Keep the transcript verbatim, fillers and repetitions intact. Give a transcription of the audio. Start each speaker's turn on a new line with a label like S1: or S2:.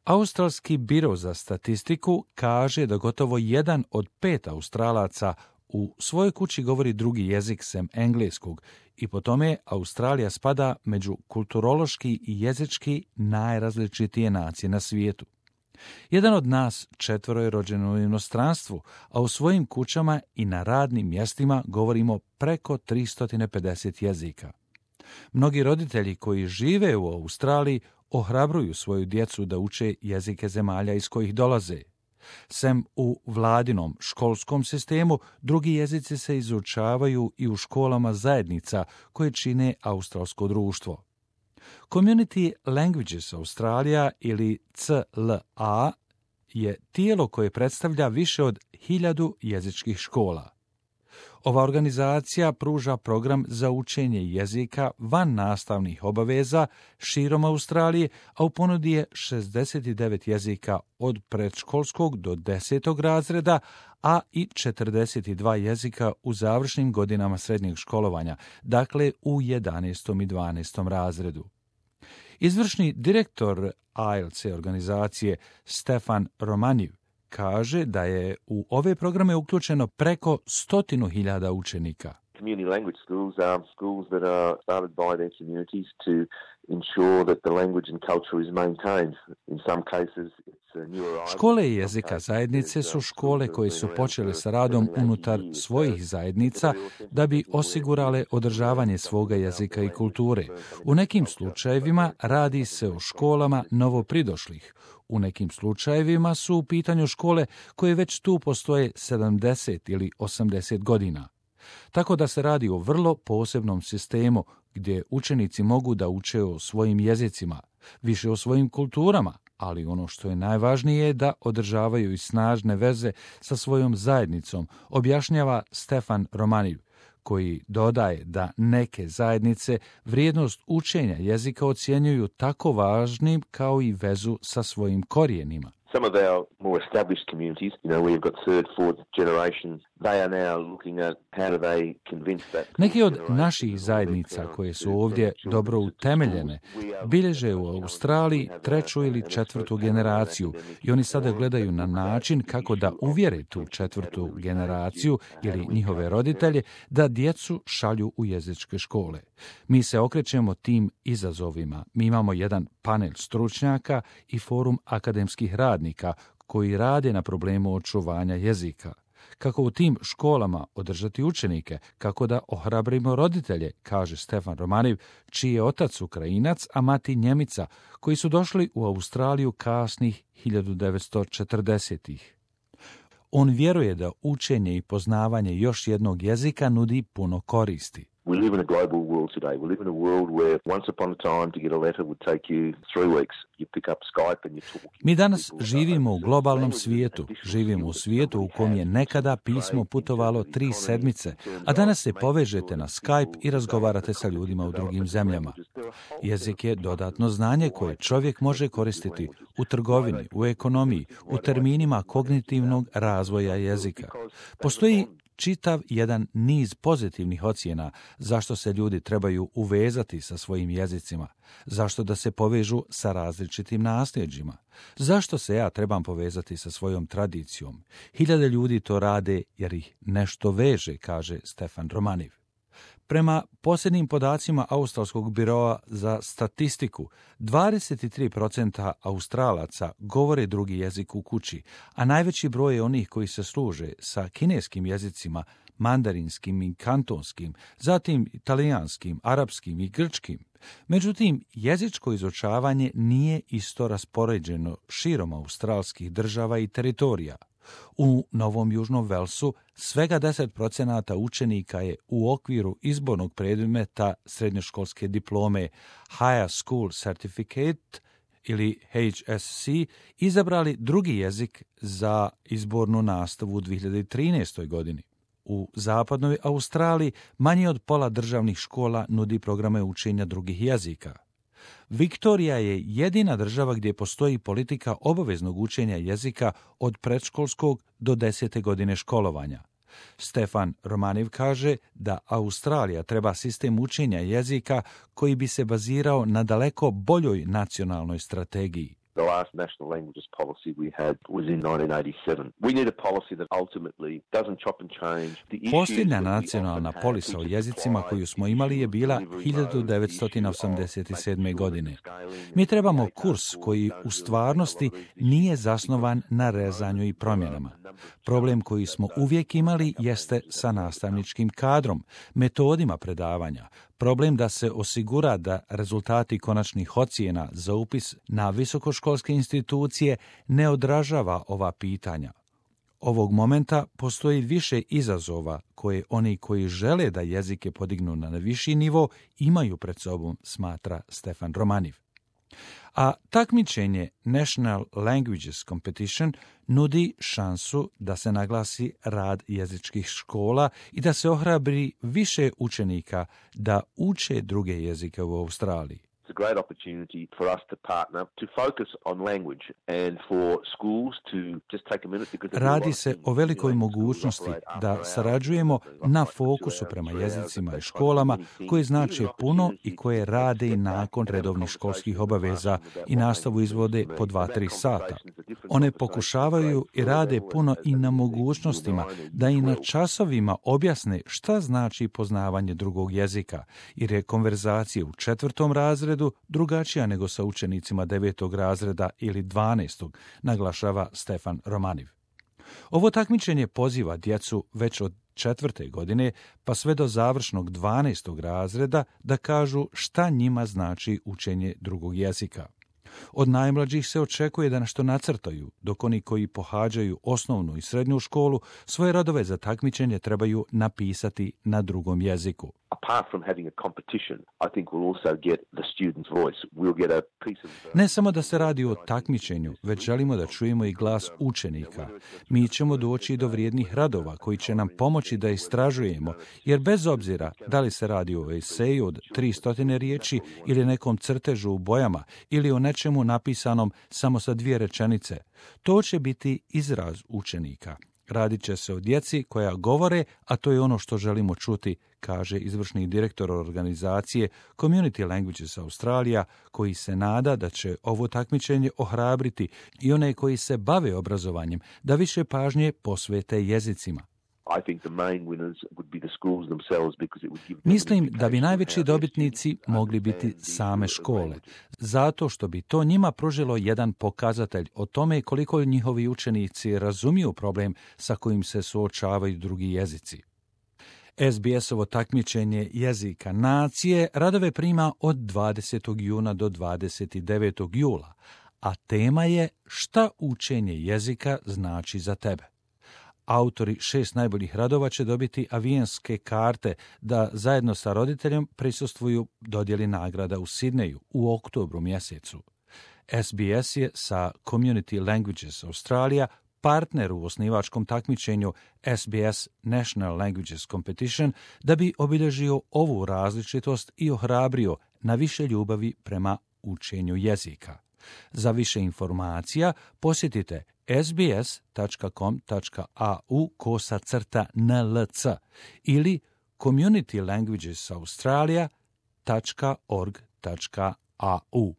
S1: Australski biro za statistiku kaže da gotovo jedan od pet Australaca u svojoj kući govori drugi jezik sem engleskog i po tome Australija spada među kulturološki i jezički najrazličitije nacije na svijetu. Jedan od nas četvoro je rođen u inostranstvu, a u svojim kućama i na radnim mjestima govorimo preko tristo pedeset jezika. Mnogi roditelji koji žive u Australiji ohrabruju svoju djecu da uče jezike zemalja iz kojih dolaze. Sem u vladinom školskom sistemu, drugi jezici se izučavaju i u školama zajednica koje čine australsko društvo. Community Languages Australia ili C L A je tijelo koje predstavlja više od hiljadu jezičkih škola. Ova organizacija pruža program za učenje jezika van nastavnih obaveza širom Australije, a u ponudi je šezdeset devet jezika od predškolskog do desetog razreda, a i četrdeset dva jezika u završnim godinama srednjeg školovanja, dakle u jedanaestom i dvanaestom razredu. Izvršni direktor I E L T S organizacije Stefan Romanjev kaže da je u ove programe uključeno preko stotinu hiljada učenika.
S2: Community language schools are schools that are started by their communities to ensure that the language and culture is maintained. In some cases it's a new arrival.
S1: Škole jezika zajednice su škole koje su počele sa radom unutar svojih zajednica da bi osigurale održavanje svoga jezika i kulture. U nekim slučajevima radi se o školama novopridošlih. U nekim slučajevima su u pitanju škole koje već tu postoje sedamdeset ili osamdeset godina. Tako da se radi o vrlo posebnom sistemu gdje učenici mogu da uče o svojim jezicima, više o svojim kulturama, ali ono što je najvažnije je da održavaju i snažne veze sa svojom zajednicom, objašnjava Stefan Romanjev, koji dodaje da neke zajednice vrijednost učenja jezika ocjenjuju tako važnim kao i vezu sa svojim korijenima.
S2: Some of our more established communities, you know, we've got third, fourth generation, they are now looking at how do they convince that.
S1: Neki od naših zajednica koje su ovdje dobro utemeljene bilježe u Australiji treću ili četvrtu generaciju i oni sada gledaju na način kako da uvjere tu četvrtu generaciju ili njihove roditelje da djecu šalju u jezičke škole. Mi se okrećemo tim izazovima. Mi imamo jedan panel stručnjaka i forum akademskih radnika koji rade na problemu očuvanja jezika. Kako u tim školama održati učenike, kako da ohrabrimo roditelje, kaže Stefan Romanjev, čiji je otac Ukrajinac, a mati Njemica, koji su došli u Australiju kasnih hiljadu devetsto četrdesetih. On vjeruje da učenje i poznavanje još jednog jezika nudi puno koristi.
S2: We live in a global world today. We live in a world where once upon a time to get a letter would take you three weeks. You pick up Skype and you talk.
S1: Mi danas živimo u globalnom svijetu. Živimo u svijetu u kom je nekada pismo putovalo tri sedmice, a danas se povežete na Skype i razgovarate sa ljudima u drugim zemljama. Jezik je dodatno znanje koje čovjek može koristiti u trgovini, u ekonomiji, u terminima kognitivnog razvoja jezika. Postoji čitav jedan niz pozitivnih ocjena zašto se ljudi trebaju uvezati sa svojim jezicima, zašto da se povežu sa različitim nasljeđima, zašto se ja trebam povezati sa svojom tradicijom. Hiljade ljudi to rade jer ih nešto veže, kaže Stefan Romanjev. Prema posljednjim podacima Australskog biroa za statistiku, dvadeset tri posto Australaca govore drugi jezik u kući, a najveći broj je onih koji se služe sa kineskim jezicima, mandarinskim i kantonskim, zatim italijanskim, arapskim i grčkim. Međutim, jezičko izučavanje nije isto raspoređeno širom australskih država i teritorija. U Novom Južnom Velsu svega deset posto učenika je u okviru izbornog predmeta srednjoškolske diplome Higher School Certificate ili H S C izabrali drugi jezik za izbornu nastavu u dvije hiljade trinaestoj godini. U zapadnoj Australiji manje od pola državnih škola nudi programe učenja drugih jezika. Viktorija je jedina država gdje postoji politika obaveznog učenja jezika od predškolskog do desete godine školovanja. Stefan Romanjev kaže da Australija treba sistem učenja jezika koji bi se bazirao na daleko boljoj nacionalnoj strategiji.
S2: The last national languages policy we had was in nineteen eighty-seven. We need a policy that ultimately doesn't chop and change.
S1: Posljednja nacionalna polisa o jezicima koju smo imali je bila hiljadu devetsto osamdeset sedme. godine. Mi trebamo kurs koji u stvarnosti nije zasnovan na rezanju i promjenama. Problem koji smo uvijek imali jeste sa nastavničkim kadrom, metodima predavanja. Problem da se osigura da rezultati konačnih ocjena za upis na visokoškolske institucije ne odražava ova pitanja. Ovog momenta postoji više izazova koje oni koji žele da jezike podignu na viši nivo imaju pred sobom, smatra Stefan Romaniv. A takmičenje National Languages Competition nudi šansu da se naglasi rad jezičkih škola i da se ohrabri više učenika da uče druge jezike u Australiji.
S2: It's a great opportunity for us to partner, to focus on language and for schools to just take a minute because
S1: Radi se o velikoj mogućnosti da sarađujemo na fokusu prema jezicima i školama koji znače puno i koje rade i nakon redovnih školskih obaveza i nastavu izvode po dva tri sata. One pokušavaju i rade puno i na mogućnostima da i na časovima objasne šta znači poznavanje drugog jezika, jer je konverzacija u četvrtom razredu drugačija nego sa učenicima devetog razreda ili dvanaestog, naglašava Stefan Romaniv. Ovo takmičenje poziva djecu već od četvrte godine pa sve do završnog dvanaestog razreda da kažu šta njima znači učenje drugog jezika. Od najmlađih se očekuje da nešto nacrtaju, dok oni koji pohađaju osnovnu i srednju školu svoje radove za takmičenje trebaju napisati na drugom jeziku.
S2: Apart from having a competition, I think we'll also get the student's voice. We'll get a piece of...
S1: Ne samo da se radi o takmičenju, već želimo da čujemo i glas učenika. Mi ćemo doći do vrijednih radova koji će nam pomoći da istražujemo, jer bez obzira da li se radi o eseju od tristo riječi ili nekom crtežu u bojama ili o nečemu napisanom samo sa dvije rečenice, to će biti izraz učenika. Radit će se o djeci koja govore, a to je ono što želimo čuti, kaže izvršni direktor organizacije Community Languages Australia, koji se nada da će ovo takmičenje ohrabriti i one koji se bave obrazovanjem da više pažnje posvete jezicima. Mislim da bi najveći dobitnici mogli biti same škole, zato što bi to njima pružilo jedan pokazatelj o tome koliko njihovi učenici razumiju problem sa kojim se suočavaju drugi jezici. es be es-ovo takmičenje jezika nacije radove prima od dvadesetog juna do dvadeset devetog jula, a tema je šta učenje jezika znači za tebe. Autori šest najboljih radova će dobiti avionske karte da zajedno sa roditeljem prisustvuju dodjeli nagrada u Sidneju u oktobru mjesecu. es be es je sa Community Languages Australia partner u osnivačkom takmičenju es be es National Languages Competition da bi obilježio ovu različitost i ohrabrio na više ljubavi prema učenju jezika. Za više informacija posjetite sbs.com.au kosa crta nlc ili community languages australia dot org dot a u.